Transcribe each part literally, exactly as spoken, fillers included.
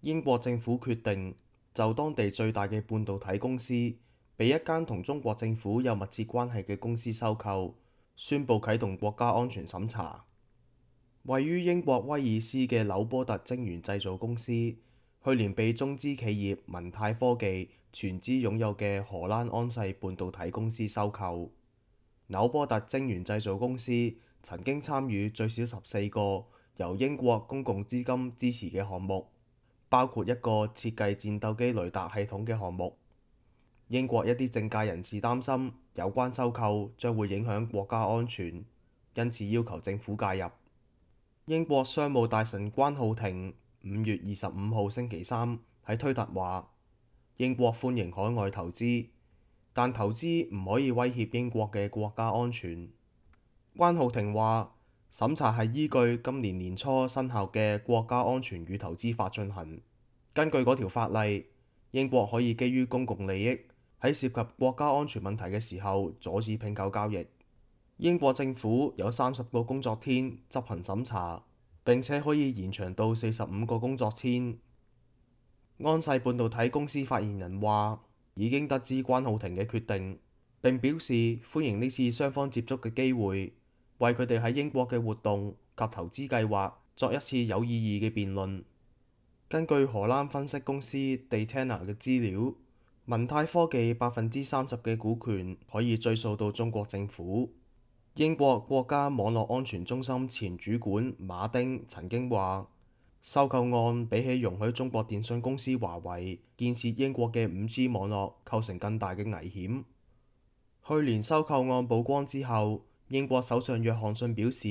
英國政府決定就當地最大嘅半導體公司被一間同中國政府有密切關係嘅公司收購，宣布啟動國家安全審查。位於英國威爾斯嘅紐波特晶圓製造公司，去年被中資企業文泰科技全資擁有嘅荷蘭安世半導體公司收購。紐波特晶圓製造公司曾經參與最少十四個由英國公共資金支持嘅項目，包括一個設計戰鬥機雷達系統嘅項目。英國一啲政界人士擔心有關收購將會影響國家安全，因此要求政府介入。英國商務大臣關浩庭五月二十五號星期三喺推特話：英國歡迎海外投資，但投資唔可以威脅英國嘅國家安全。關浩庭話：審查係依據今年年初生效嘅國家安全與投資法進行。根據嗰條法例，英國可以基於公共利益喺涉及國家安全問題嘅時候阻止併購交易。英國政府有三十個工作天執行審查，並且可以延長到四十五個工作天。安世半導體公司發言人話：已經得知關浩庭嘅決定，並表示歡迎呢次雙方接觸嘅機會，為佢哋喺英國嘅活動及投資計劃作一次有意義嘅辯論。根據荷蘭分析公司 Dataena 嘅資料，文泰科技百分之三十嘅股權可以追溯到中國政府。英國國家網絡安全中心前主管馬丁曾經話：收購案比起容許中國電信公司華為建設英國嘅五 G 網絡構成更大嘅危險。去年收購案曝光之後，英國首相約翰遜表示，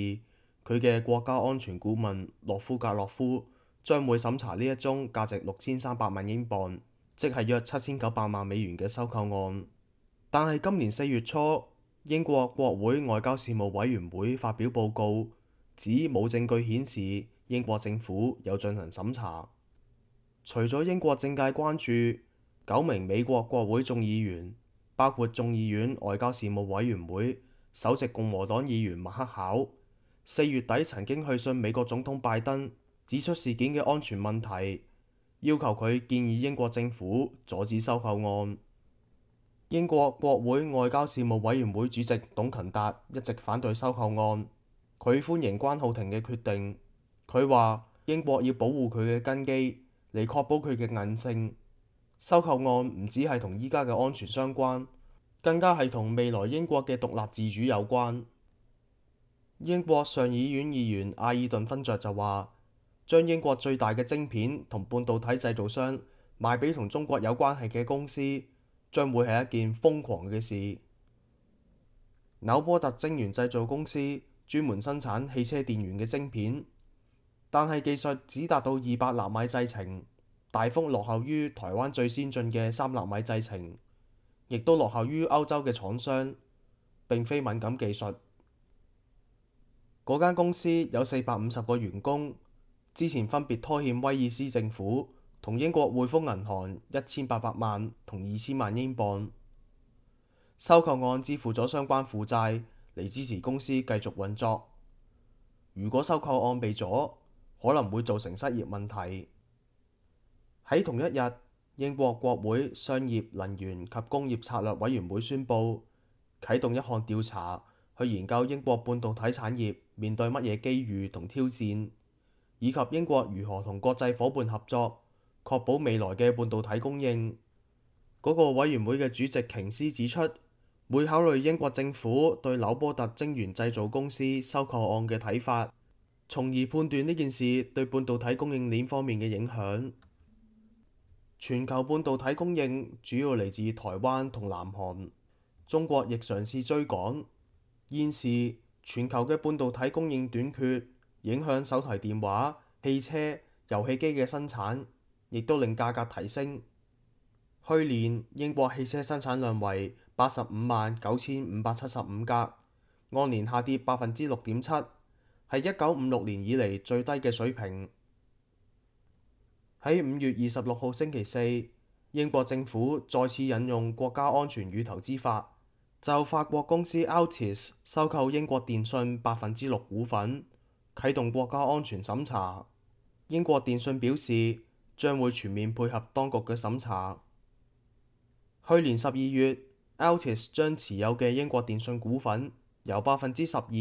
佢嘅國家安全顧問洛夫格洛夫將會審查呢一宗價值六千三百萬英鎊，即係約七千九百萬美元嘅收購案。但係今年四月初，英國國會外交事務委員會發表報告，指冇證據顯示英國政府有進行審查。除咗英國政界關注，九名美國國會眾議員，包括眾議院外交事務委員會首席共和黨議員麥克考，四月底曾經去信美國總統拜登，指出事件嘅安全問題，要求佢建議英國政府阻止收購案。英國國會外交事務委員會主席董勤達一直反對收購案，佢歡迎關浩庭嘅決定。佢話英國要保護佢嘅根基，嚟確保佢嘅韌性。收購案唔只係同依家嘅安全相關，更加係同未來英國嘅獨立自主有關。英國上議院議員阿爾頓勳爵就話，將英國最大嘅晶片同半導體製造商賣俾同中國有關係嘅公司，將會係一件瘋狂嘅事。紐波特晶圓製造公司專門生產汽車電源嘅晶片，但係技術只達到二百納米製程，大幅落後於台灣最先進嘅三納米製程，亦都落後於歐洲嘅廠商，並非敏感技術。嗰間公司有四百五十個員工，之前分別拖欠威爾斯政府同英國匯豐銀行一千八百萬同二千萬英鎊。收購案支付咗相關負債嚟支持公司繼續運作。如果收購案被阻，可能會造成失業問題。喺同一日，英國國會商業、能源及工業策略委員會宣布啟動一項調查，去研究英國半導體產業面對乜嘢機遇同挑戰，以及英國如何同國際夥伴合作，確保未來嘅半導體供應。嗰個委員會嘅主席瓊斯指出，會考慮英國政府對紐波特晶圓製造公司收購案嘅睇法，從而判斷呢件事對半導體供應鏈方面嘅影響。全球半導體供應主要嚟自台灣同南韓，中國亦嘗試追趕。現時全球嘅半導體供應短缺，影響手提電話、汽車、遊戲機嘅生產，亦都令價格提升。去年英國汽車生產量為八十五萬九千五百七十五架，按年下跌百分之六點七，係一九五六年以嚟最低嘅水平。喺五月二十六號星期四，英國政府再次引用國家安全與投資法，就法國公司 Altice 收購英國電信百分之六股份，啟動國家安全審查。英國電信表示，將會全面配合當局嘅審查。去年十二月，Altice 將持有嘅英國電信股份由百分之十二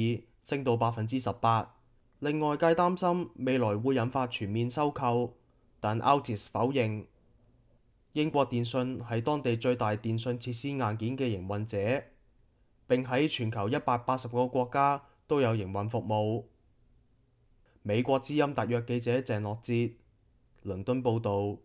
升到百分之十八，令外界擔心未來會引發全面收購，但 Altice 否認。英國電信係當地最大電信設施硬件嘅營運者，並喺全球一百八十個國家都有營運服務。美國之音特約記者鄭樂哲，倫敦報導。